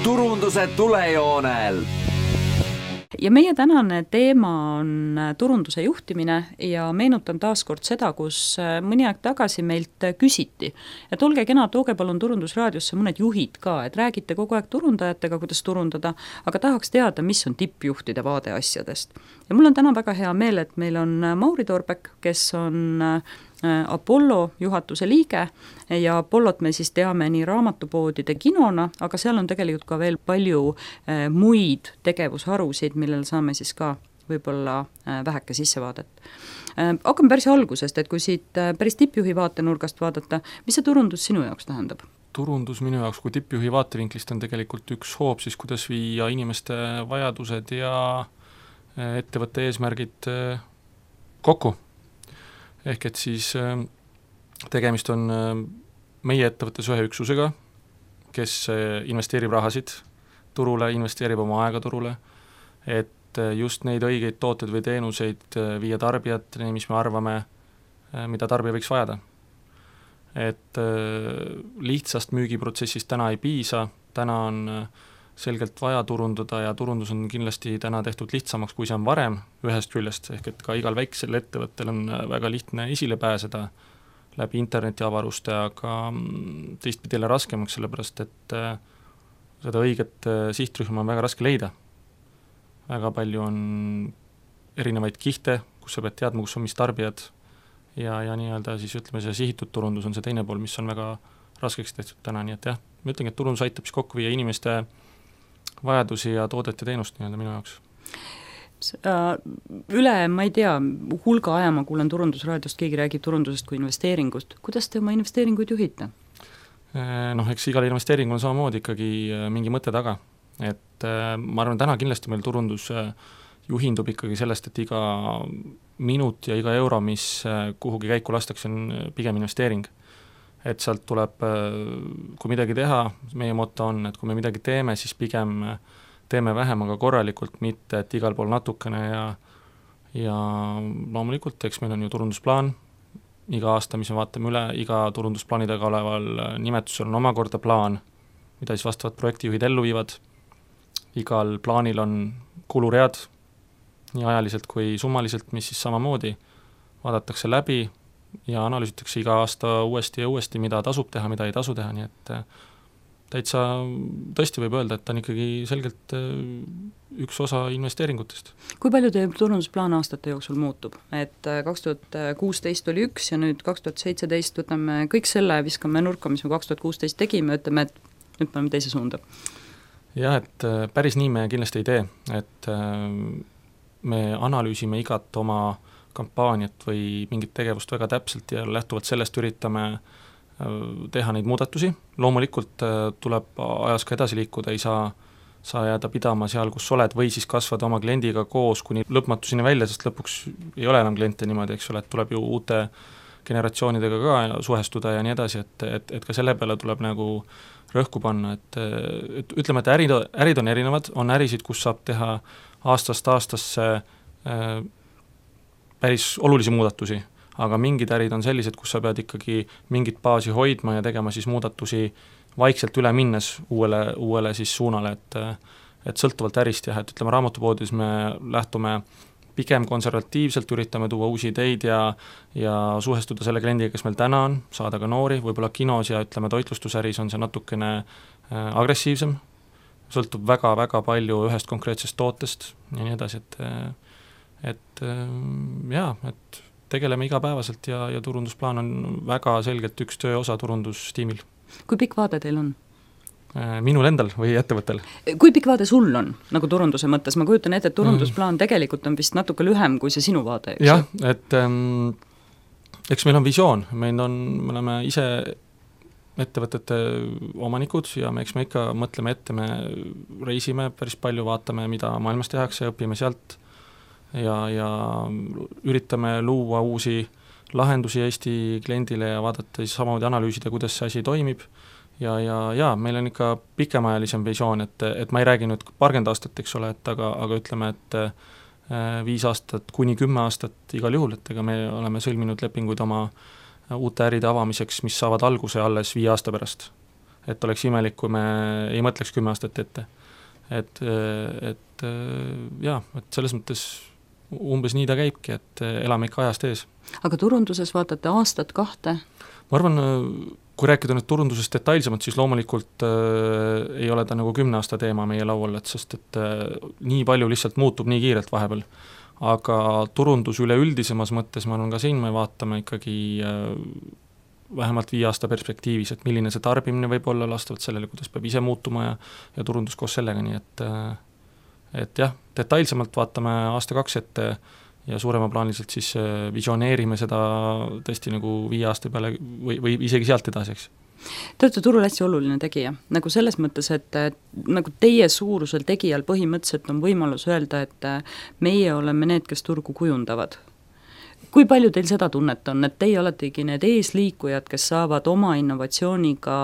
turunduse tulejoonel. Ja meie tänane teema on turunduse juhtimine ja meenutan taaskord seda, kus mõni aeg tagasi meilt küsiti, et olge kena, tooge palun Turundusraadiosse mõned juhid ka, et räägite kogu aeg turundajatega, kuidas turundada, aga tahaks teada, mis on tippjuhtide vaade asjadest. Ja mul on täna väga hea meel, et meil on Mauri Torbek, kes on Apollo juhatuse liige ja Apollot me siis teame nii raamatupoodide kinona, aga seal on tegelikult ka veel palju muid tegevusharusid, millel saame siis ka võib-olla väheke sissevaadet. Hakkame päris algusest, et kui siit päris tippjuhi vaatenurgast vaadata, mis see turundus sinu jaoks tähendab? Turundus minu jaoks kui tippjuhi vaatevinklist on tegelikult üks hoob siis, kuidas viia inimeste vajadused ja ettevõtte eesmärgid kokku. Ehk et siis tegemist on meie ettevõttes ühe üksusega, kes investeerib rahasid turule, investeerib oma aega turule, et just neid õigeid tooteid või teenuseid viia tarbijateni, mis me arvame, mida tarbija võiks vajada. Et lihtsast müügiprotsessist täna ei piisa, täna on selgelt vaja turundada ja turundus on kindlasti täna tehtud lihtsamaks, kui see on varem ühest küljest, ehk et ka igal väiksel ettevõttel on väga lihtne esile pääseda läbi internetiavaruste, aga teistpidi raskemaks, sellepärast et seda õiget sihtrühma on väga raske leida. Väga palju on erinevaid kihte, kus sa pead teadma, kus on mis tarbijad ja nii-öelda siis ütleme, see sihitud turundus on see teine pool, mis on väga raskeks tehtud täna, nii et jah, ma ütlengi, et turundus aitab siis kokku viia inimeste vajadusi ja toodet ja teenust nii-öelda minu jaoks. Üle, ma ei tea, hulga aja ma kuulen Turundusraadiost, keegi räägib turundusest kui investeeringust. Kuidas te oma investeeringuid juhite? Eks igal investeeringul on samamoodi ikkagi mingi mõte taga. Et ma arvan, täna kindlasti meil turundus juhindub ikkagi sellest, et iga minut ja iga euro, mis kuhugi käiku lastakse, on pigem investeering. Et sealt tuleb, kui midagi teha, meie moto on, et kui me midagi teeme, siis pigem teeme vähem, aga korralikult, mitte et igal pool natukene ja loomulikult, eks meil on ju turundusplaan, iga aasta, mis me vaatame üle, iga turundusplaanidega oleval nimetusel on omakorda plaan, mida siis vastavad projektijuhid ellu viivad, igal plaanil on kuluread, nii ajaliselt kui summaliselt, mis siis samamoodi vaadatakse läbi, ja analüüsitakse iga aasta uuesti ja uuesti, mida tasub teha, mida ei tasu teha, nii et täitsa tõesti võib öelda, et ta on ikkagi selgelt üks osa investeeringutest. Kui palju teie turundusplaan aastate jooksul muutub? Et 2016 oli üks ja nüüd 2017 võtame kõik selle, viskame nurka, mis me 2016 tegime, ütleme, et nüüd paneme teise suunda. Jah, et päris nii me kindlasti ei tee, et me analüüsime igat oma kampaaniat või mingit tegevust väga täpselt ja lähtuvalt sellest üritame teha neid muudatusi. Loomulikult tuleb ajas ka edasi liikuda, ei saa jääda pidama seal, kus oled, või siis kasvada oma kliendiga koos kuni lõpmatuseni välja, sest lõpuks ei ole enam kliente niimoodi, eks ole, et tuleb ju uute generatsioonidega ka suhestuda ja nii edasi, et ka selle peale tuleb nagu rõhku panna, et ütleme, et ärid on erinevad, on ärisid, kus saab teha aastast aastasse päris olulisi muudatusi, aga mingid ärid on sellised, kus sa pead ikkagi mingit baasi hoidma ja tegema siis muudatusi vaikselt üle minnes uuele siis suunale, et sõltuvalt ärist jah, et ütleme raamatupoodis me lähtume pigem konservatiivselt, üritame tuua uusi ideid ja suhestuda selle kliendiga, kes meil täna on, saada ka noori, võib-olla kinos ja ütleme toitlustusäris on see natukene agressiivsem, sõltub väga-väga palju ühest konkreetsest tootest ja nii edasi, et tegeleme igapäevaselt ja turundusplaan on väga selgelt üks töö osa turundustiimil. Kui pikk vaade teil on? Minul endal või ettevõttel? Kui pikk vaade sul on, nagu turunduse mõttes? Ma kujutan ette, et turundusplaan tegelikult on vist natuke lühem kui see sinu vaade, eks? Jah, et eks meil on visioon, me oleme ise ettevõtete omanikud ja eks me ikka mõtleme ette, me reisime päris palju, vaatame, mida maailmas tehakse, õpime sealt ja üritame luua uusi lahendusi Eesti kliendile ja vaadata siis samamoodi analüüsida, kuidas see asi toimib ja meil on ikka pikemaajalisem visioon, et ma ei räägi nüüd 20 aastat, eks ole, aga ütleme, et 5 aastat kuni 10 aastat igal juhul, et ega me oleme sõlminud lepinguid oma uute äride avamiseks, mis saavad alguse alles 5 aasta pärast. et oleks imelik, kui me ei mõtleks 10 aastat ette. Et selles mõttes umbes nii ta käibki, et elame ikka ajast ees. Aga turunduses vaatate aastat 2? Ma arvan, kui rääkida nüüd turundusest detailsemalt, siis loomulikult ei ole ta nagu 10 aasta teema meie laual, et sest et nii palju lihtsalt muutub nii kiirelt vahepeal. Aga turundus üleüldisemas mõttes, ma arvan, ka siin me vaatame ikkagi vähemalt 5 aasta perspektiivis, et milline see tarbimine võib olla lastavalt sellele, kuidas peab ise muutuma ja turundus koos sellega, nii et jah, detailsemalt vaatame aasta 2 ette ja suuremaplaaniliselt siis visioneerime seda tõesti nagu 5 aasta peale või isegi sealt edasi, eks. Te olete turul hästi oluline tegija, nagu selles mõttes, et nagu teie suurusel tegijal põhimõtteliselt on võimalus öelda, et meie oleme need, kes turgu kujundavad. Kui palju teil seda tunnet on, et teie oletegi need eesliikujad, kes saavad oma innovatsiooniga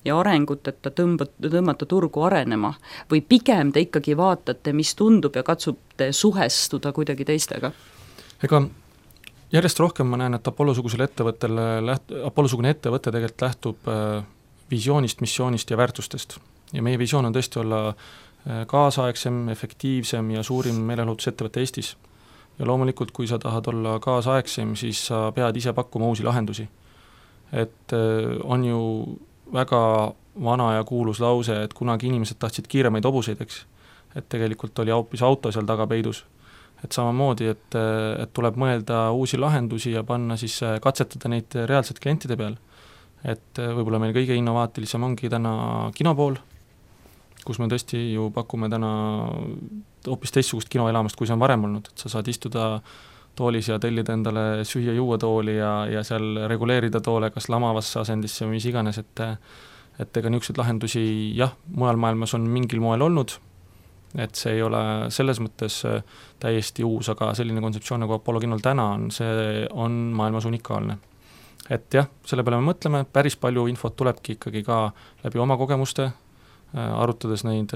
ja arenguteta tõmmata turgu arenema, või pigem te ikkagi vaatate, mis tundub ja katsute suhestuda kuidagi teistega? Ega järjest rohkem ma näen, et Apollo-sugune ettevõte tegelikult lähtub visioonist, missioonist ja väärtustest. Ja meie visioon on tõesti olla kaasaegsem, efektiivsem ja suurim meelelahutusettevõte Eestis. Ja loomulikult, kui sa tahad olla kaasaegsem, siis sa pead ise pakkuma uusi lahendusi. Et on ju väga vana ja kuulus lause, et kunagi inimesed tahtsid kiiremaid hobuseid, eks. Et tegelikult oli hoopis auto seal taga peidus. Et samamoodi, et tuleb mõelda uusi lahendusi ja panna siis katsetada neid reaalselt klientide peal. Et võib-olla meil kõige innovaatilisem ongi täna kinopool, kus me tõesti ju pakume täna hoopis teistsugust kinoelamust, kui see on varem olnud, et sa saad istuda toolis ja tellida endale süüa-juua tooli ja seal reguleerida toole kas lamavasse asendisse või mis iganes, et ega niisuguseid lahendusi jah, mujal maailmas on mingil moel olnud, et see ei ole selles mõttes täiesti uus, aga selline kontseptsioon nagu Apollo kinol täna on, see on maailmas unikaalne. Et jah, selle peale me mõtleme, päris palju infot tulebki ikkagi ka läbi oma kogemuste, arutades neid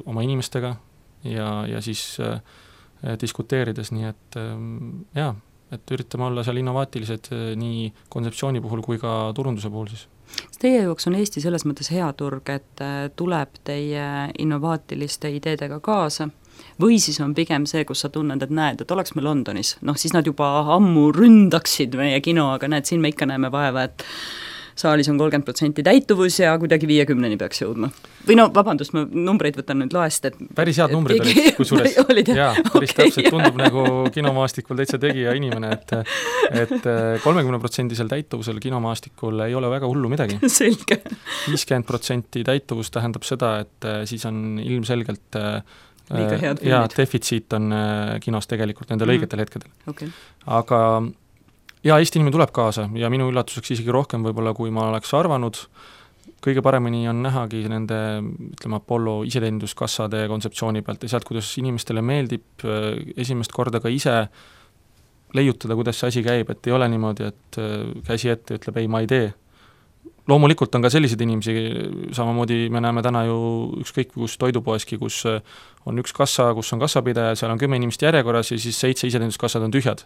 oma inimestega ja siis diskuteerides, nii et jaa, et üritame olla seal innovaatilised nii kontseptsiooni puhul kui ka turunduse puhul siis. Teie jaoks on Eesti selles mõttes hea turg, et tuleb teie innovaatiliste ideedega kaasa, või siis on pigem see, kus sa tunned, et näed, et oleks me Londonis, siis nad juba ammu ründaksid meie kino, aga näed, siin me ikka näeme vaeva, et saalis on 30% täituvus ja kuidagi 50-ni peaks jõudma. Või vabandust, ma numbreid võtan nüüd laest, et päris head numbrid olid, kusjuures päris täpselt tundub nagu kinomaastikul täitsa tegija inimene, et 30% täituvusel kinomaastikul ei ole väga hullu midagi. Selge. 50% täituvus tähendab seda, et siis on ilmselgelt liiga head filmid. Defitsiit on kinos tegelikult nendel õigetel hetkedel. Okay. Aga ja Eesti inimene tuleb kaasa ja minu üllatuseks isegi rohkem võib-olla, kui ma oleks arvanud. Kõige paremini on nähagi nende, ütleme, Apollo iseteeninduskassade kontseptsiooni pealt ja sealt, kuidas inimestele meeldib esimest korda ka ise leiutada, kuidas see asi käib, et ei ole niimoodi, et käsi ette ütleb, ei, ma ei tee. Loomulikult on ka selliseid inimesi, samamoodi me näeme täna ju ükskõik kus toidupoeski, kus on üks kassa, kus on kassapidaja, seal on 10 inimest järjekorras ja siis 7 iseteeninduskassad on tühjad.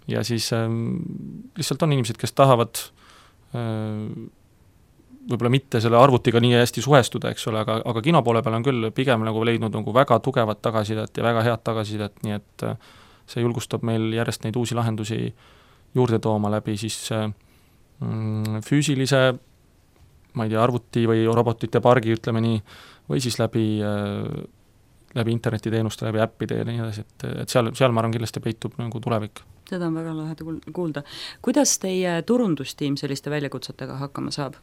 Ja siis lihtsalt on inimesed, kes tahavad võib-olla mitte selle arvutiga nii hästi suhestuda, eks ole, aga kinopoole peal on küll pigem nagu leidnud nagu väga tugevat tagasisidet ja väga head tagasisidet, nii et see julgustab meil järjest neid uusi lahendusi juurde tooma läbi siis füüsilise, ma ei tea, arvuti või robotite pargi, ütleme nii, või siis läbi internetiteenuste, läbi äppide ja nii edasi, et seal ma arvan kindlasti peitub nagu tulevik. Seda on väga laheda kuulda. Kuidas teie turundustiim selliste väljakutsetega hakkama saab?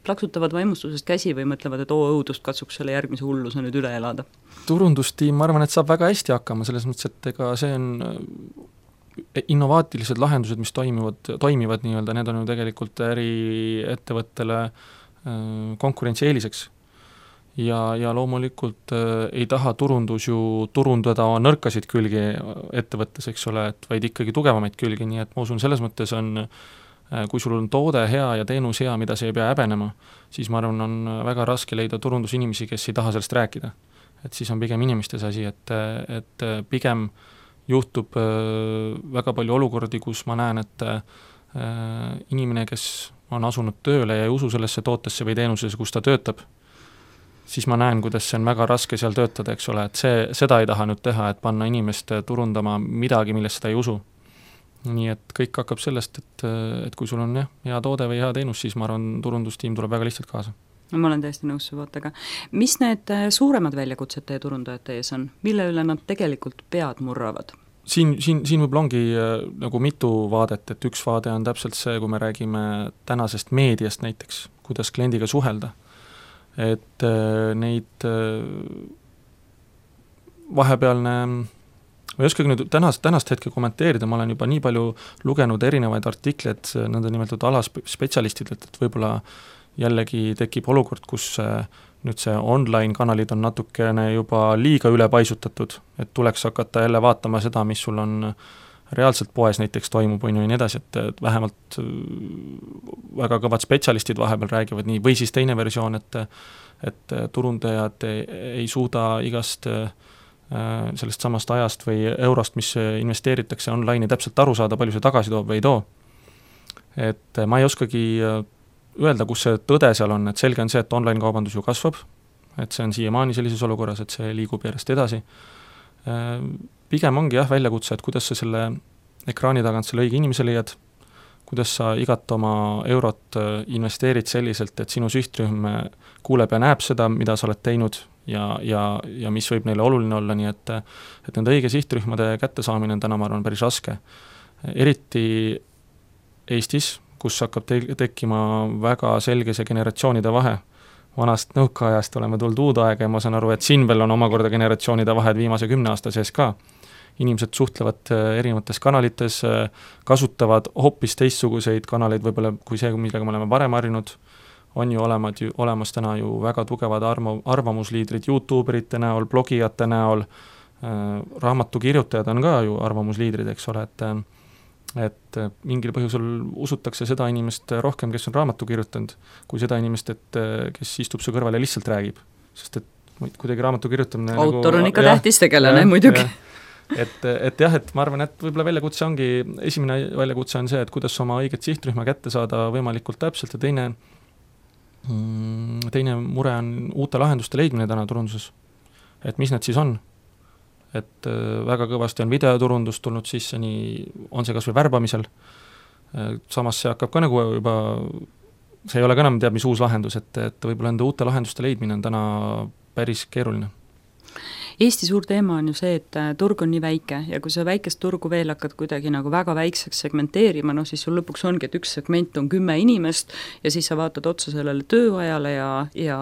Plaksutavad vaimustusest käsi või mõtlevad, et õudust katsuks selle järgmise hulluse nüüd üle elada? Turundustiim, ma arvan, et saab väga hästi hakkama, selles mõttes, et ega see on innovaatilised lahendused, mis toimivad nii-öelda, need on ju tegelikult äriettevõttele konkurentsieeliseks. Ja loomulikult ei taha turundus ju turundada nõrkasid külgi ettevõttes, eks ole, et vaid ikkagi tugevamaid külgi, nii et ma usun, selles mõttes on, kui sul on toode hea ja teenus hea, mida sa ei pea häbenema, siis ma arvan, on väga raske leida turundusinimesi, kes ei taha sellest rääkida. Et siis on pigem inimestes asi, et pigem juhtub väga palju olukordi, kus ma näen, et inimene, kes on asunud tööle ja ei usu sellesse tootesse või teenusesse, kus ta töötab, siis ma näen, kuidas see on väga raske seal töötada, eks ole, et seda ei taha nüüd teha, et panna inimest turundama midagi, millest ta ei usu. Nii et kõik hakkab sellest, et kui sul on hea toode või hea teenus, siis ma arvan, turundustiim tuleb väga lihtsalt kaasa. Ma olen täiesti nõus su vaatega. Mis need suuremad väljakutsed teie turundajate ees on? Mille üle nad tegelikult pead murravad? Siin võib-olla ongi nagu mitu vaadet, et üks vaade on täpselt see, kui me räägime tänasest meediast näiteks, kuidas kliendiga suhelda. Et neid vahepealne, ma ei oskagi nüüd tänast hetke kommenteerida, ma olen juba nii palju lugenud erinevaid artikleid nõnda nimetatud alaspetsialistidelt, et võib-olla jällegi tekib olukord, kus nüüd see online-kanalid on natukene juba liiga üle paisutatud, et tuleks hakata jälle vaatama seda, mis sul on reaalselt poes näiteks toimub, ja nii edasi, et vähemalt väga kõvad spetsialistid vahepeal räägivad nii, või siis teine versioon, et turundajad ei suuda igast sellest samast ajast või eurost, mis investeeritakse online'i, täpselt aru saada, palju see tagasi toob või ei too. Et ma ei oskagi öelda, kus see tõde seal on, et selge on see, et online-kaubandus ju kasvab, et see on siiamaani sellises olukorras, et see liigub järjest edasi. Pigem ongi väljakutse, et kuidas sa selle ekraani tagant selle õige inimese leiad, kuidas sa igat oma eurot investeerid selliselt, et sinu sihtrühm kuuleb ja näeb seda, mida sa oled teinud ja mis võib neile oluline olla, nii et nende õige sihtrühmade kättesaamine on täna, ma arvan, päris raske. Eriti Eestis, kus hakkab tekkima väga selge see generatsioonide vahe. Vanast nõukaajast oleme tulnud uude aega ja ma saan aru, et siin veel on omakorda generatsioonide vahed viimase 10 aasta sees ka. Inimesed suhtlevad erinevates kanalites, kasutavad hoopis teistsuguseid kanaleid võib-olla kui see, millega me oleme varem harjunud. On ju olemas täna ju väga tugevad arvamusliidrid YouTuberite näol, blogijate näol, raamatukirjutajad on ka ju arvamusliidrid, eks ole, et mingil põhjusel usutakse seda inimest rohkem, kes on raamatu kirjutanud, kui seda inimest, kes istub su kõrval ja lihtsalt räägib. Sest et kuidagi raamatu kirjutamine autor on ikka tähtis tegelane muidugi. Et ma arvan, et võib-olla väljakutse ongi, esimene väljakutse on see, et kuidas oma õiget sihtrühma kätte saada võimalikult täpselt ja teine mure on uute lahenduste leidmine täna turunduses. Et mis need siis on? Et väga kõvasti on videoturundus tulnud sisse, nii on see kas või värbamisel, samas see hakkab ka nagu juba, see ei ole ka enam teab mis uus lahendus, et võib-olla enda uute lahenduste leidmine on täna päris keeruline. Eesti suur teema on ju see, et turg on nii väike ja kui sa väikest turgu veel hakkad kuidagi nagu väga väikseks segmenteerima, siis sul lõpuks ongi, et üks segment on 10 inimest ja siis sa vaatad otsa sellele tööajale ja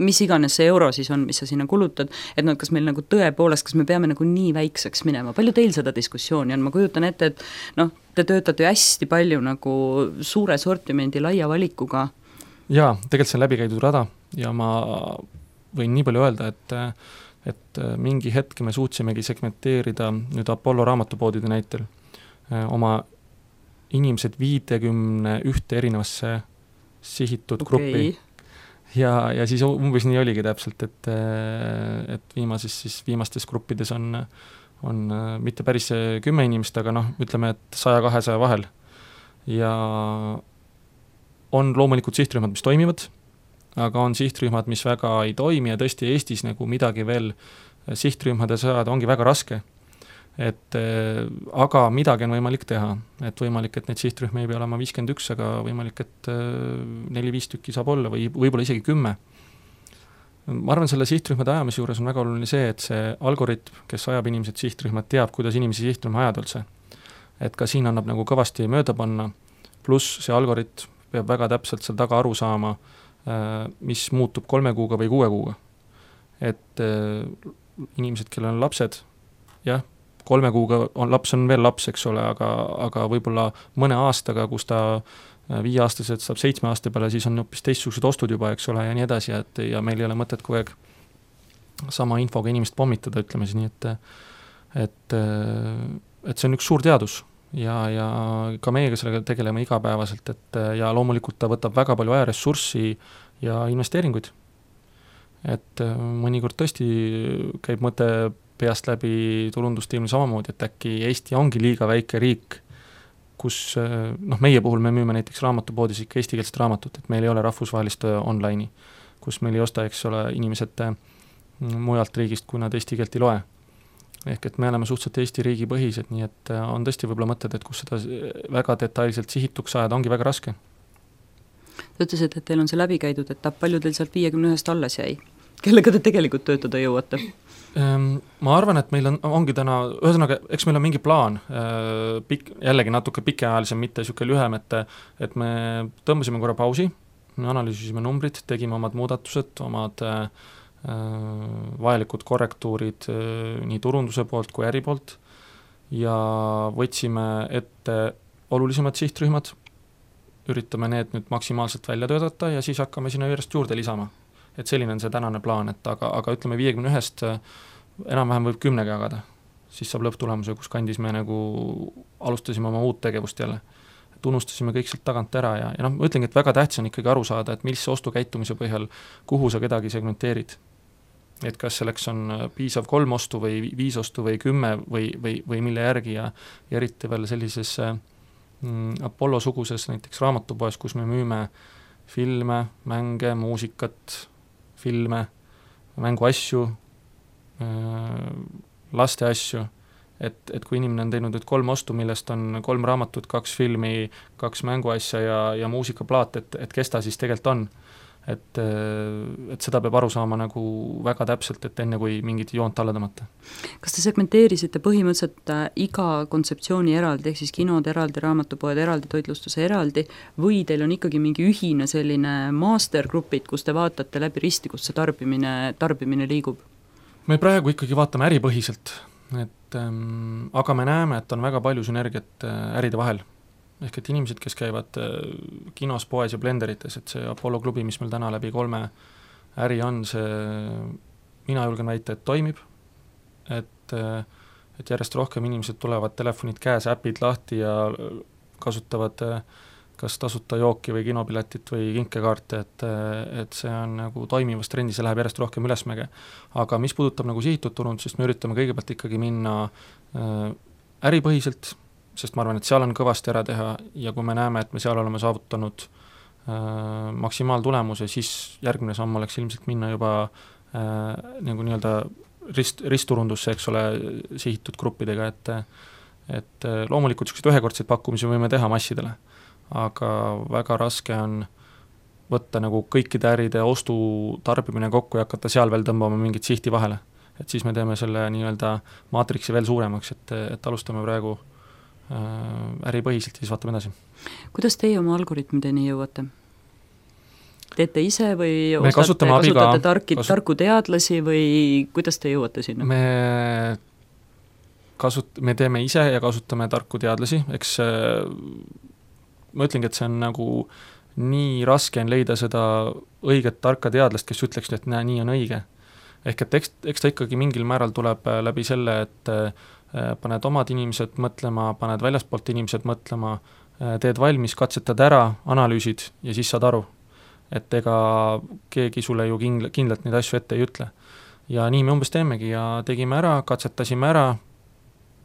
mis iganes see euro siis on, mis sa sinna kulutad, et kas meil nagu tõepoolest, kas me peame nagu nii väikseks minema, palju teil seda diskussiooni on, ma kujutan ette, et te töötate ju hästi palju nagu suure sortimendi laia valikuga. Jaa, tegelikult see on läbi käidud rada ja ma võin nii palju öelda, et mingi hetk me suutsimegi segmenteerida nüüd Apollo raamatupoodide näitel oma inimesed 51 erinevasse sihitud gruppi. Ja siis umbes nii oligi täpselt, et viimastes gruppides on mitte päris 10 inimest, aga ütleme, et 100-200 vahel. Ja on loomulikult sihtrühmad, mis toimivad, aga on sihtrühmad, mis väga ei toimi ja tõesti Eestis nagu midagi veel sihtrühmade saada ongi väga raske. Aga midagi on võimalik teha, et võimalik, et neid sihtrühmi ei pea olema 51, aga võimalik, et 4-5 tükki saab olla või võib-olla isegi 10. Ma arvan, selle sihtrühmade ajamise juures on väga oluline see, et see algoritm, kes ajab inimesed sihtrühmad, teab, kuidas inimesi sihtrühma ajada üldse. Et ka siin annab nagu kõvasti mööda panna, pluss see algoritm peab väga täpselt seal taga aru saama, mis muutub 3 kuuga või 6 kuuga. Et inimesed, kellel on lapsed, 3 kuuga laps on veel laps, eks ole, aga võib-olla mõne aastaga, kus ta 5-aastaselt saab 7 aasta peale, siis on hoopis teistsugused ostud juba, eks ole, ja nii edasi, ja meil ei ole mõtet kogu aeg sama infoga inimest pommitada, ütleme siis nii, et see on üks suur teadus ja ka meiega sellega tegeleme igapäevaselt, ja loomulikult ta võtab väga palju ajaressurssi ja investeeringuid. Et mõnikord tõesti käib mõte peast läbi turundustiimil samamoodi, et äkki Eesti ongi liiga väike riik kus meie puhul me müüme näiteks raamatupoodis ikka eestikeelset raamatut, et meil ei ole rahvusvahelist online'i, kus meil ei osta, eks ole, inimesed mujalt riigist, kui nad eesti keelt ei loe. Ehk et me oleme suhteliselt Eesti riigi põhised, nii et on tõesti võib-olla mõtted, et kus seda väga detailselt sihituks ajada, ongi väga raske. Te ütlesite, et teil on see läbi käidud, et palju teil sealt 51 alles jäi? Kellega te tegelikult töötada jõuate? Ma arvan, et meil ongi täna, ühesõnaga, eks meil on mingi plaan, jällegi natuke pikeajalisem, mitte niisugune lühem, et me tõmbasime korra pausi, me analüüsisime numbrid, tegime omad muudatused, omad vajalikud korrektuurid nii turunduse poolt kui äri poolt ja võtsime ette olulisemad sihtrühmad, üritame need nüüd maksimaalselt välja töötada ja siis hakkame sinna järjest juurde lisama. Et selline on see tänane plaan, et aga ütleme 51-st enam-vähem võib 10 jagada, siis saab lõpptulemuse, kus kandis me nagu alustasime oma uut tegevust jälle. Et unustasime kõik sealt tagant ära ja ma ütlengi, et väga tähtis on ikkagi aru saada, et millise ostukäitumise põhjal, kuhu sa kedagi segmenteerid. Et kas selleks on piisav 3 ostu või 5 ostu või 10 või mille järgi ja eriti veel sellises Apollo-suguses näiteks raamatupoes, kus me müüme filme, mänge, muusikat, filme, mänguasju, laste asju, et kui inimene on teinud 3 ostu, millest on 3 raamatut, 2 filmi, 2 mänguasja ja muusikaplaat, et kes ta siis tegelikult on. Et seda peab aru saama nagu väga täpselt, et enne kui mingit joont alla tõmmata. Kas te segmenteerisite põhimõtteliselt iga kontseptsiooni eraldi, ehk siis kinod eraldi, raamatupoed eraldi, toitlustuse eraldi, või teil on ikkagi mingi ühine selline mastergrupid, kus te vaatate läbi risti, kus see tarbimine liigub? Me praegu ikkagi vaatame äripõhiselt, aga me näeme, et on väga palju sünergiat äride vahel. Ehk et inimesed, kes käivad kinos, poes ja blenderites, et see Apollo klubi, mis meil täna läbi 3 äri on, see mina julgen väita, et toimib, et järjest rohkem inimesed tulevad telefonid käes, äpid lahti ja kasutavad kas tasuta jooki või kinopiletit või kinkekaarte, et see on nagu toimivas trendis ja läheb järjest rohkem ülesmäge. Aga mis puudutab nagu sihitud turundusest, me üritame kõigepealt ikkagi minna äripõhiselt, sest ma arvan, et seal on kõvasti ära teha ja kui me näeme, et me seal oleme saavutanud maksimaaltulemuse, siis järgmine samm oleks ilmselt minna juba nagu nii-öelda ristturundusse, eks ole, sihitud gruppidega, et loomulikult sellised ühekordseid pakkumisi võime teha massidele, aga väga raske on võtta nagu kõikide äride ostu tarbimine kokku ja hakata seal veel tõmbama mingit sihti vahele. Et siis me teeme selle nii-öelda maatriksi veel suuremaks, et alustame praegu äripõhiselt ja siis vaatame edasi. Kuidas teie oma algoritmideni jõuate? Teete ise või kasutate tarku teadlasi või kuidas te jõuate sinna? Me teeme ise ja kasutame tarku teadlasi, eks ma ütlengi, et see on nagu nii raske on leida seda õiget tarka teadlast, kes ütleks, et nii on õige. Ehk et eks ta ikkagi mingil määral tuleb läbi selle, et paned omad inimesed mõtlema, paned väljaspoolt inimesed mõtlema, teed valmis, katsetad ära, analüüsid ja siis saad aru. Et ega keegi sulle ju kindlalt neid asju ette ei ütle. Ja nii me umbes teemegi ja tegime ära, katsetasime ära,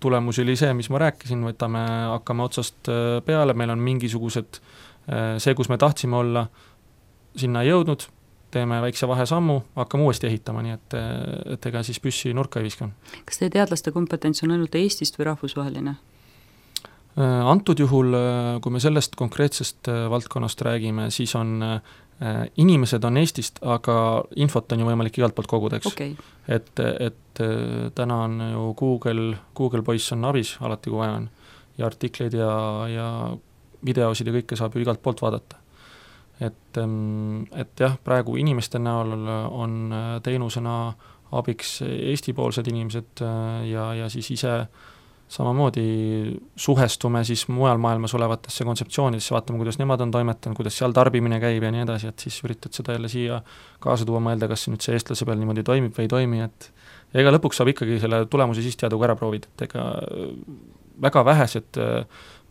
tulemus oli see, mis ma rääkisin, hakkame otsast peale, meil on mingisugused, see, kus me tahtsime olla, sinna jõudnud, teeme väikse vahesammu, hakkame uuesti ehitama, nii et ega siis püssi nurka ei viska. Kas teie teadlaste kompetents on ainult Eestist või rahvusvaheline? Antud juhul, kui me sellest konkreetsest valdkonnast räägime, siis on inimesed on Eestist, aga infot on ju võimalik igalt poolt koguda, eks. Okay. Et täna on ju Google poiss on abis alati, kui vaja on, ja artikleid ja videosid ja kõike saab ju igalt poolt vaadata. Et jah, praegu inimeste näol on teenusena abiks Eesti-poolsed inimesed ja siis ise samamoodi suhestume siis mujal maailmas olevatesse kontseptsioonidesse, vaatame, kuidas nemad on toimetanud, kuidas seal tarbimine käib ja nii edasi, et siis üritad seda jälle siia kaasa tuua, mõelda, kas nüüd see eestlase peal niimoodi toimib või ei toimi, et ja ega lõpuks saab ikkagi selle tulemuse siis teada, kui ära proovid, et ega väga vähesed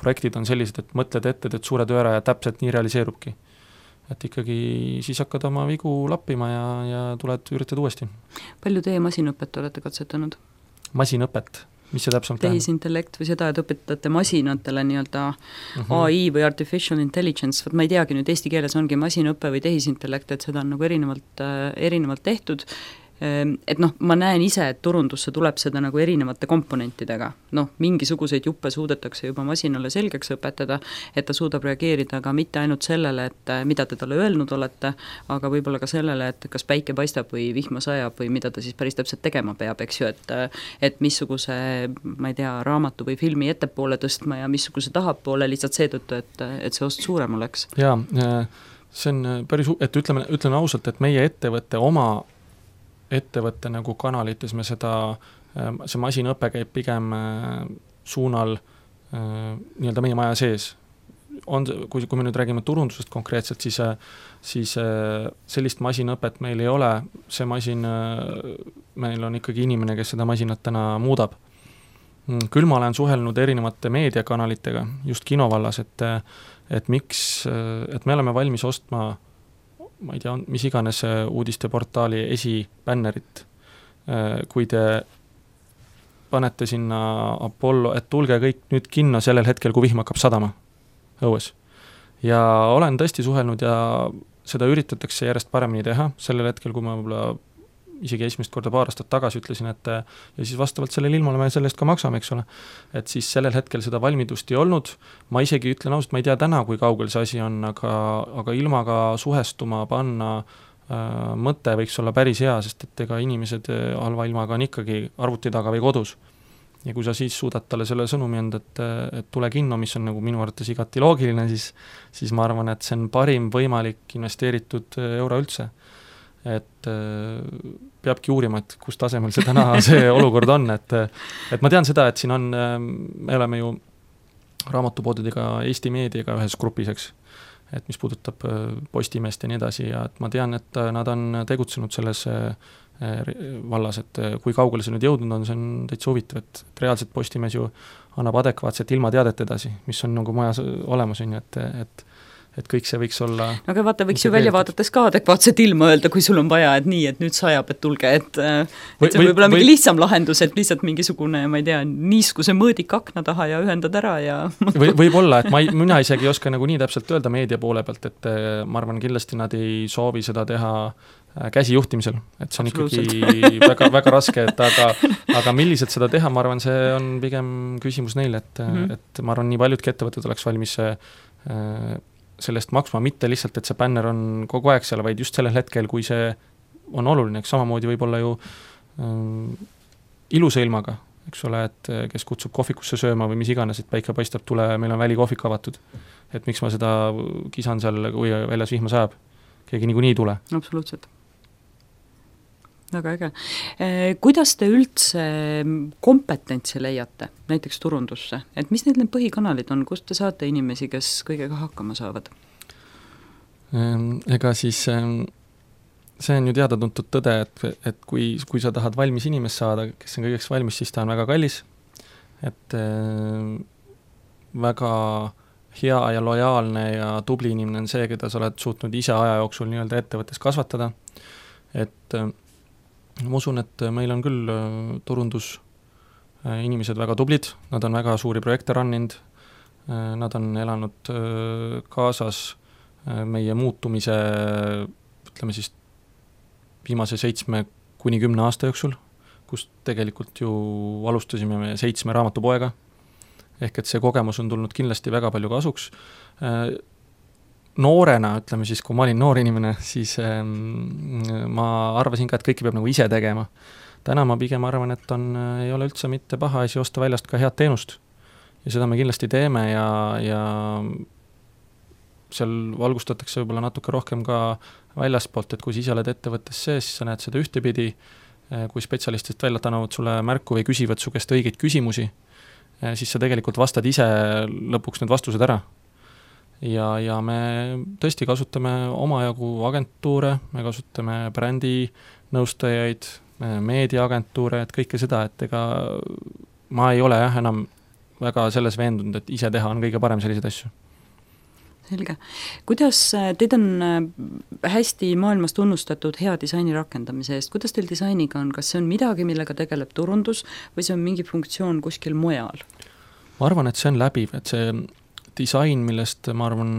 projektid on sellised, et mõtled ette, teed suure töö ära ja täpselt nii realiseerubki. Et ikkagi siis hakkad oma vigu lappima ja üritad uuesti. Palju teie masinõpet olete katsetanud? Masinõpet? mis see täpsemalt tähendab? tehisintellekt või seda, et õpetate masinatele nii-öelda AI või artificial intelligence, ma ei teagi nüüd eesti keeles ongi masinõpe või tehisintellekt, et seda on nagu erinevalt tehtud, et ma näen ise, et turundusse tuleb seda nagu erinevate komponentidega, mingisuguseid juppe suudetakse juba masinale selgeks õpetada, et ta suudab reageerida aga mitte ainult sellele, et mida te talle öelnud olete, aga võib-olla ka sellele, et kas päike paistab või vihma sajab või mida ta siis päris täpselt tegema peab, eks ju, et missuguse, ma ei tea, raamatu või filmi ettepoole tõstma ja missuguse tahapoole lihtsalt seetõttu, et see ost suurem oleks. Jaa, see on päris, et ütleme ausalt, et meie ettevõtte nagu kanalites me see masinõpe käib pigem suunal nii-öelda meie maja sees. Kui me nüüd räägime turundusest konkreetselt, siis sellist masinõpet meil ei ole, see masin, meil on ikkagi inimene, kes seda masinat täna muudab. Küll ma olen suhelnud erinevate meediakanalitega, just kinovallas, et me oleme valmis ostma ma ei tea, mis iganes uudisteportaali esibännerit, kui te panete sinna Apollo, et tulge kõik nüüd kinno sellel hetkel, kui vihm hakkab sadama õues. Ja olen tõesti suhelnud ja seda üritatakse järjest paremini teha, sellel hetkel, kui ma võib-olla isegi esimest korda paar aastat tagasi ütlesin, et ja siis vastavalt sellele ilmale me sellest ka maksame, eks ole. Et siis sellel hetkel seda valmidust ei olnud, ma isegi ütlen ausalt, ma ei tea täna, kui kaugel see asi on, aga ilmaga suhestuma panna mõte võiks olla päris hea, sest et ega inimesed halva ilmaga on ikkagi arvuti taga või kodus. Ja kui sa siis suudad talle selle sõnumi anda, et tule kinno, mis on nagu minu arvates igati loogiline, siis ma arvan, et see on parim võimalik investeeritud euro üldse. Et peabki uurima, et kus tasemel see täna see olukord on, et ma tean seda, et siin on, me oleme ju raamatupoodidega Eesti Meediaga ühes grupis, eks, et mis puudutab Postimeest ja nii edasi ja et ma tean, et nad on tegutsenud selles vallas, et kui kaugele see nüüd jõudnud on, see on täitsa huvitav, et reaalselt Postimees ju annab adekvaatset ilmateadet edasi, mis on nagu majas olemas, et kõik see võiks olla... Aga vaata, võiks ju välja vaadates ka adekvaatset ilma öelda, kui sul on vaja, et nii, et nüüd sajab, et tulge, et see võib olla mingi lihtsam lahendus, et lihtsalt mingisugune, ma ei tea, niiskuse mõõdik akna taha ja ühendad ära ja... Võib-olla, et mina isegi ei oska nagu nii täpselt öelda meedia poole pealt, et ma arvan, kindlasti nad ei soovi seda teha käsijuhtimisel, et see on ikkagi väga, väga raske, aga milliselt seda teha, ma arvan, see on pigem küsimus neile, et ma arvan, nii paljudki ettevõtted oleks valmis sellest maksma, mitte lihtsalt, et see bänner on kogu aeg seal, vaid just sellel hetkel, kui see on oluline, eks samamoodi võib olla ju ilusa ilmaga, eks ole, et kes kutsub kohvikusse sööma või mis iganes, et päike paistab, tule, meil on välikohvik avatud. Et miks ma seda kisan seal, kui väljas vihma sajab? Keegi niikuinii ei tule. Absoluutselt. Väga äge. Kuidas te üldse kompetentsi leiate, näiteks turundusse? Et mis need põhikanalid on, kust te saate inimesi, kes kõigega hakkama saavad? Ega siis see on ju teada-tuntud tõde, et kui sa tahad valmis inimest saada, kes on kõigeks valmis, siis ta on väga kallis. Et väga hea ja lojaalne ja tubli inimene on see, keda sa oled suutnud ise aja jooksul nii-öelda ettevõttes kasvatada. Et ma usun, et meil on küll turundus inimesed väga tublid, nad on väga suuri projekte ranninud, nad on elanud kaasas meie muutumise, ütleme siis, viimase 7–10 aasta jooksul, kus tegelikult ju alustasime me 7 raamatupoega, ehk et see kogemus on tulnud kindlasti väga palju kasuks. Noorena, ütleme siis, kui ma olin noor inimene, siis ma arvasin ka, et kõike peab nagu ise tegema. Täna ma pigem arvan, et ei ole üldse mitte paha asi osta väljast ka head teenust. Ja seda me kindlasti teeme ja seal valgustatakse võib-olla natuke rohkem ka väljaspoolt, et kui sa ise oled ettevõttes sees, siis sa näed seda ühtepidi, kui spetsialistist välja annavad sulle märku või küsivad su käest õigeid küsimusi, siis sa tegelikult vastad ise lõpuks need vastused ära. Ja me tõesti kasutame omajagu agentuure, me kasutame brändi nõustajaid, meediaagentuure, et kõike seda, et ega ma ei ole enam väga selles veendunud, et ise teha on kõige parem selliseid asju. Selge. Kuidas teid on hästi maailmas tunnustatud hea disaini rakendamise eest, kuidas teil disainiga on, kas see on midagi, millega tegeleb turundus või see on mingi funktsioon kuskil mujal? Ma arvan, et see on läbiv, et see disain, millest ma arvan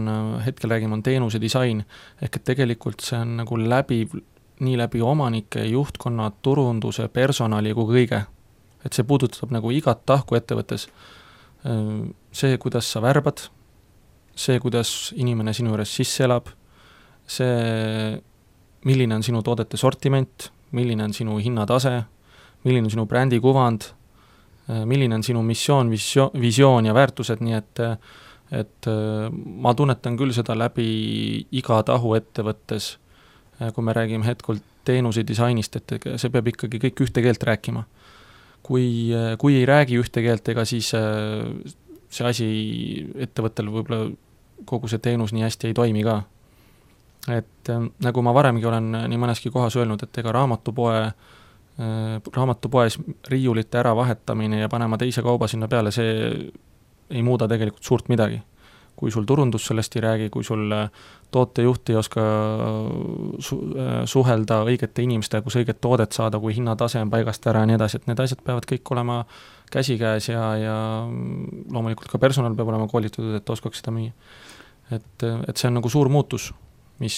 hetkel räägime, on teenuse disain, ehk et tegelikult see on nagu läbiv nii läbi omanike, juhtkonna, turunduse, personali kui kõige. Et see puudutab nagu igat tahku ettevõttes. See, kuidas sa värbad, see, kuidas inimene sinu juures sisse elab, see, milline on sinu toodete sortiment, milline on sinu hinnatase, milline on sinu brändi kuvand, milline on sinu missioon, visioon ja väärtused, nii et ma tunnetan küll seda läbi iga tahu ettevõttes, kui me räägime hetkel teenuse disainist, et see peab ikkagi kõik ühte keelt rääkima. Kui ei räägi ühte keelt, ega siis see asi ettevõttel võib-olla kogu see teenus nii hästi ei toimi ka. Et nagu ma varemgi olen nii mõneski kohas öelnud, et ega raamatupoes riiulite ära vahetamine ja panema teise kauba sinna peale, see ei muuda tegelikult suurt midagi. Kui sul turundus sellest ei räägi, kui sul tootejuht ei oska suhelda õigete inimestega, kus õiget toodet saada, kui hinnatase on paigast ära ja nii edasi, et need asjad peavad kõik olema käsikäes ja loomulikult ka personal peab olema koolitatud, et oskaks seda müüa. Et see on nagu suur muutus, mis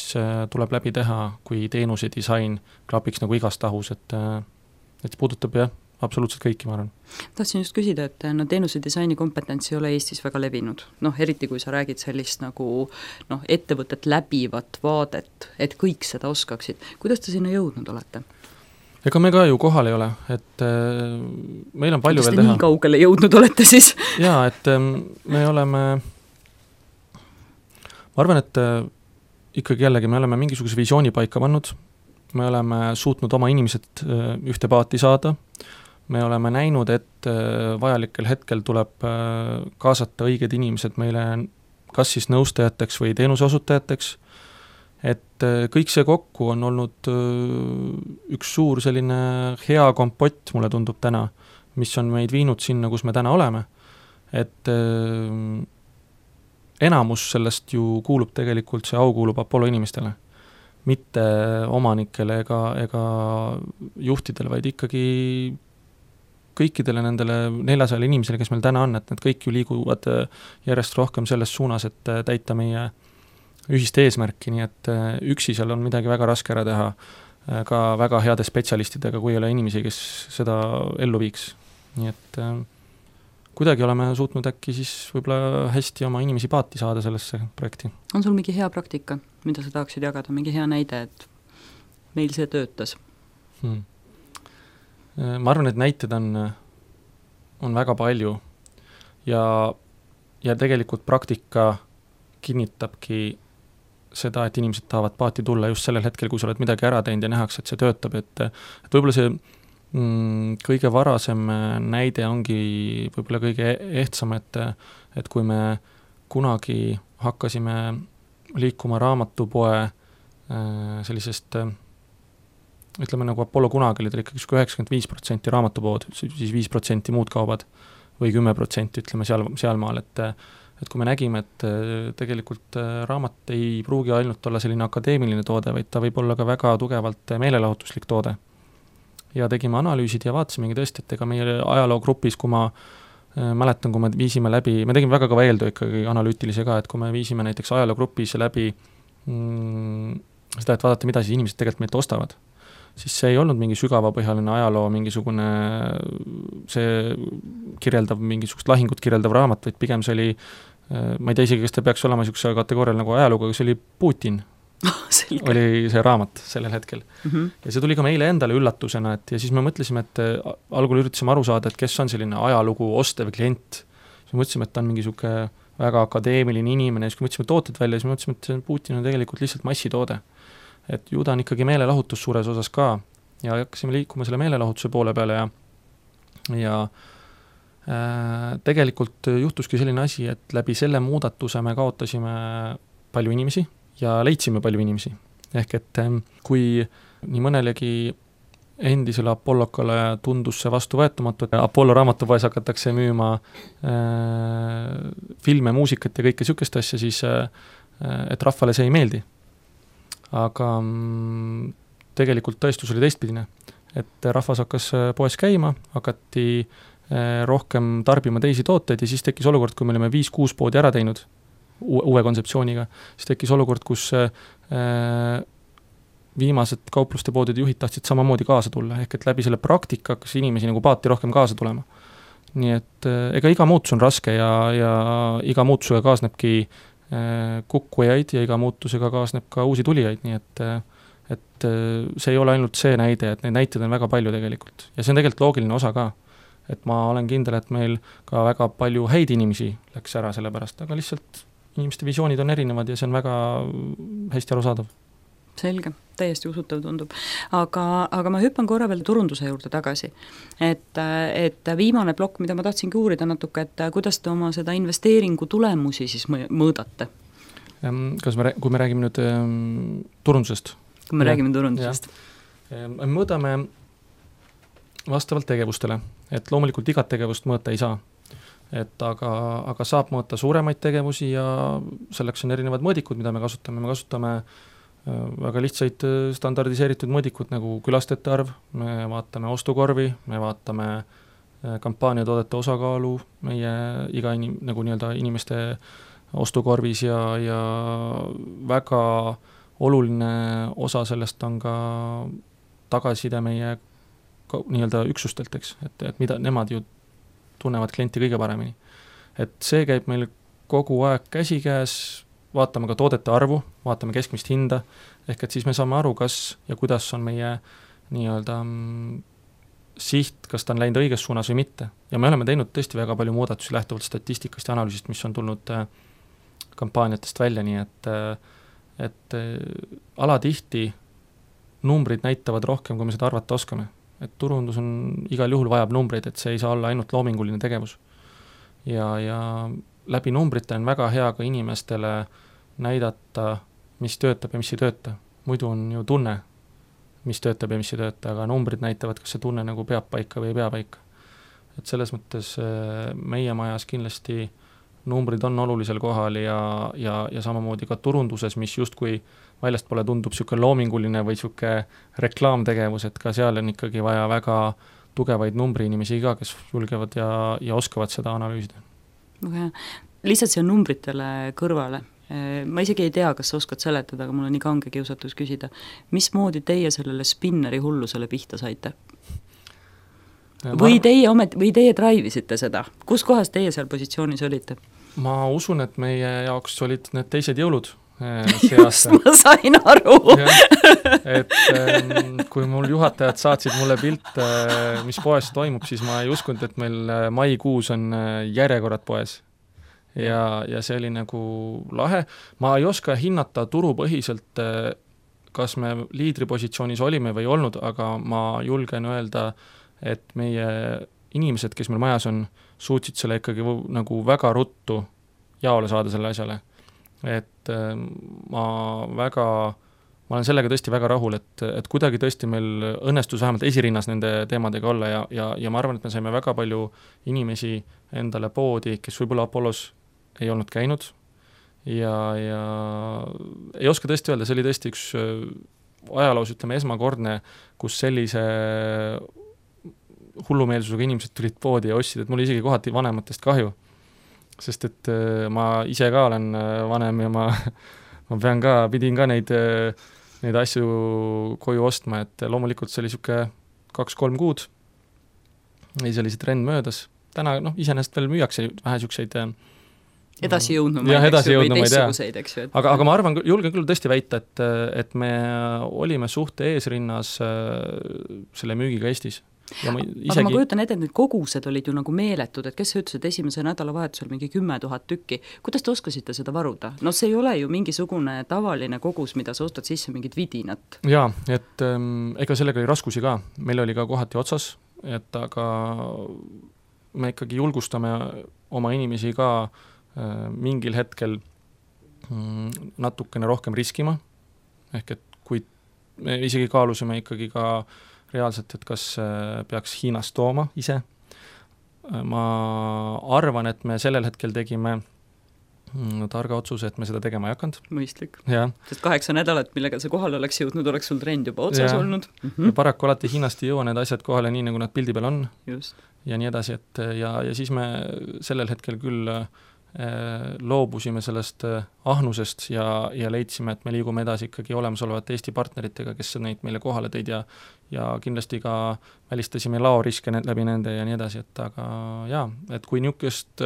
tuleb läbi teha, kui teenuse disain klapiks nagu igas tahus, et puudutab jah, absoluutselt kõiki, ma arvan. Tahtsin just küsida, et teenuse disaini kompetents ei ole Eestis väga levinud. Eriti kui sa räägid sellist nagu ettevõtet läbivat vaadet, et kõik seda oskaksid. Kuidas te sinna jõudnud olete? Ega me ka ju kohal ei ole, et meil on palju veel teha. Kuidas te nii kaugele jõudnud olete siis? Jaa, et me oleme, ma arvan, et ikkagi jällegi me oleme mingisuguse visiooni paika pannud, me oleme suutnud oma inimesed ühte paati saada, me oleme näinud, et vajalikel hetkel tuleb kaasata õiged inimesed meile kas siis nõustajateks või teenuseosutajateks, et kõik see kokku on olnud üks suur selline hea kompott, mulle tundub täna, mis on meid viinud sinna, kus me täna oleme, et enamus sellest ju kuulub tegelikult, see au kuulub Apollo inimestele, mitte omanikele ega juhtidele, vaid ikkagi kõikidele nendele 400 inimesele, kes meil täna on, et need kõik ju liiguvad järjest rohkem selles suunas, et täita meie ühist eesmärki, nii et üksi seal on midagi väga raske ära teha, ka väga heade spetsialistidega, kui ei ole inimesi, kes seda ellu viiks. Nii et kuidagi oleme suutnud äkki siis võib-olla hästi oma inimesi paati saada sellesse projekti. On sul mingi hea praktika, mida sa tahaksid jagada, mingi hea näide, et meil see töötas? Ma arvan, et näited on väga palju ja tegelikult praktika kinnitabki seda, et inimesed tahavad paati tulla just sellel hetkel, kui sa oled midagi ära teinud ja nähakse, et see töötab, et võib-olla see kõige varasem näide ongi võib-olla kõige ehtsam, et kui me kunagi hakkasime liikuma raamatupoe sellisest ütleme nagu Apollo kunagi oli ta ikkagi 95% raamatupood, siis 5% muud kaubad või 10% ütleme sealmaal, et kui me nägime, et tegelikult raamat ei pruugi ainult olla selline akadeemiline toode, vaid ta võib olla ka väga tugevalt meelelahutuslik toode. Ja tegime analüüsid ja vaatasimegi tõesti, et ega meie ajaloogrupis, kui ma mäletan, kui me viisime läbi, me tegime väga kõva eeltöö ikkagi analüütilise ka, et kui me viisime näiteks ajaloogrupis läbi seda, et vaadata, mida siis inimesed tegelikult meilt ostavad, siis see ei olnud mingi sügavapõhjaline ajaloo, mingisugune see kirjeldav, mingisugust lahingut kirjeldav raamat, vaid pigem see oli, ma ei tea isegi, kas ta peaks olema niisuguse kategoorial nagu ajalugu, aga see oli Putin, oli see raamat sellel hetkel. Ja see tuli ka meile endale üllatusena, et ja siis me mõtlesime, et algul üritasime aru saada, et kes on selline ajalugu ostev klient. Siis me mõtlesime, et ta on mingisugune väga akadeemiline inimene, ja siis kui mõtlesime tooted välja, siis me mõtlesime, et Putin on tegelikult lihtsalt massitoode. Et ju ta on ikkagi meelelahutus suures osas ka ja hakkasime liikuma selle meelelahutuse poole peale ja tegelikult juhtuski selline asi, et läbi selle muudatuse me kaotasime palju inimesi ja leidsime palju inimesi. Ehk et kui nii mõnelegi endisele Apollokale tundus see vastuvõetamatu, et Apollo raamatupoes hakatakse müüma filme, muusikat ja kõike sükest asja, siis et rahvale see ei meeldi. Aga tegelikult tõestus oli teistpidine, et rahvas hakkas poes käima, hakati rohkem tarbima teisi tooteid ja siis tekkis olukord, kui me olime 5-6 poodi ära teinud uue kontseptsiooniga, siis tekkis olukord, kus viimased kaupluste poodide juhid tahtsid samamoodi kaasa tulla, ehk et läbi selle praktika hakkas inimesi nagu paati rohkem kaasa tulema. Nii et ega iga muutus on raske ja iga muutusega kaasnebki kukkujaid ja iga muutusega kaasneb ka uusi tulijaid, nii et see ei ole ainult see näide, et neid näiteid on väga palju tegelikult. Ja see on tegelikult loogiline osa ka, et ma olen kindel, et meil ka väga palju häid inimesi läks ära selle pärast, aga lihtsalt inimeste visioonid on erinevad ja see on väga hästi arusaadav. Selge, täiesti usutav tundub. Aga ma hüppan korra veel turunduse juurde tagasi. Et viimane plokk, mida ma tahtsingi uurida natuke, et kuidas te oma seda investeeringu tulemusi siis mõõdate? Kui me räägime nüüd turundusest? Kui me räägime turundusest. Me mõõdame vastavalt tegevustele, et loomulikult igat tegevust mõõta ei saa. Aga saab mõõta suuremaid tegevusi ja selleks on erinevad mõõdikud, mida me kasutame väga lihtsaid standardiseeritud mõõdikud nagu külastajate arv, me vaatame ostukorvi, me vaatame kampaaniatoodete osakaalu meie iga nagu nii-öelda inimeste ostukorvis ja väga oluline osa sellest on ka tagasiside meie nii-öelda üksustelt, eks, et mida nemad ju tunnevad klienti kõige paremini. Et see käib meil kogu aeg käsikäes, vaatame ka toodete arvu, vaatame keskmist hinda, ehk et siis me saame aru, kas ja kuidas on meie nii-öelda siht, kas ta on läinud õiges suunas või mitte. Ja me oleme teinud tõesti väga palju muudatusi lähtuvalt statistikast ja analüüsist, mis on tulnud kampaaniatest välja, nii et alatihti numbrid näitavad rohkem, kui me seda arvata oskame. Et turundus on igal juhul vajab numbreid, et see ei saa olla ainult loominguline tegevus. Ja läbi numbrite on väga hea ka inimestele näidata, mis töötab ja mis ei tööta. Muidu on ju tunne, mis töötab ja mis ei tööta, aga numbrid näitavad, kas see tunne nagu peab paika või ei pea paika. Et selles mõttes meie majas kindlasti numbrid on olulisel kohal ja samamoodi ka turunduses, mis justkui väljast pole tundub niisugune loominguline või niisugune reklaamtegevus, et ka seal on ikkagi vaja väga tugevaid numbriinimesi ka, kes julgevad ja oskavad seda analüüsida. Okay. Lihtsalt see on numbritele kõrvale. Ma isegi ei tea, kas sa oskad seletada, aga mul on nii kange kiusatus küsida. Mismoodi teie sellele spinneri hullusele pihta saite? Või teie draivisite seda? Kus kohas teie seal positsioonis olite? Ma usun, et meie jaoks olid need teised jõulud. Just, ma sain aru. Et kui mul juhatajad saatsid mulle pilt, mis poes toimub, siis ma ei uskunud, et meil maikuus on järjekorrad poes. Ja see oli nagu lahe. Ma ei oska hinnata turupõhiselt, kas me liidripositsioonis olime või olnud, aga ma julgen öelda, et meie inimesed, kes meil majas on, suutsid selle ikkagi nagu väga ruttu jaole saada selle asjale. Et ma olen sellega tõesti väga rahul, et kuidagi tõesti meil õnnestus vähemalt esirinnas nende teemadega olla ja ma arvan, et me saime väga palju inimesi endale poodi, kes võib-olla Apollos ei olnud käinud ja ei oska tõesti öelda, see oli tõesti üks ajaloos, ütleme, esmakordne, kus sellise hullumeelsusega inimesed tulid poodi ja ostsid, et mul isegi kohati vanematest kahju. Sest et ma ise ka olen vanem ja ma pidin ka neid asju koju ostma, et loomulikult see oli niisugune 2-3 kuud, ei see oli see trend möödas. Täna iseenesest veel müüakse vähe niisuguseid edasijõudnumaid, või teistsuguseid, eks ju. Aga ma arvan, julgen küll tõesti väita, et me olime suhte eesrinnas selle müügiga Eestis. Aga ma kujutan ette, et need kogused olid ju nagu meeletud, et kes ütles, et esimese nädalavahetusel mingi 10 000 tükki. Kuidas te oskasite seda varuda? No see ei ole ju mingisugune tavaline kogus, mida sa ostad sisse mingit vidinat. Jaa, et ega sellega oli raskusi ka. Meil oli ka kohati otsas, aga me ikkagi julgustame oma inimesi ka mingil hetkel natukene rohkem riskima. Ehk et kui me isegi kaalusime ikkagi ka reaalselt, et kas peaks Hiinast tooma ise. Ma arvan, et me sellel hetkel tegime targa otsuse, et me seda tegema ei hakanud. Mõistlik. Ja. Sest 8 nädalat, millega see kohale oleks jõudnud, oleks sul trend juba otsas olnud. Ja paraku alati Hiinast ei jõua need asjad kohale nii, nagu nad pildi peal on. Just. Ja nii edasi, et ja siis me sellel hetkel küll loobusime sellest ahnusest ja leidsime, et me liigume edasi ikkagi olemasolevate Eesti partneritega, kes neid meile kohale tõid ja kindlasti ka välistasime laoriske läbi nende ja nii edasi, et aga jaa, et kui niisugust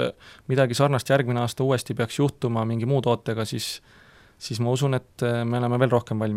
midagi sarnast järgmine aasta uuesti peaks juhtuma mingi muu tootega, siis ma usun, et me oleme veel rohkem valmis.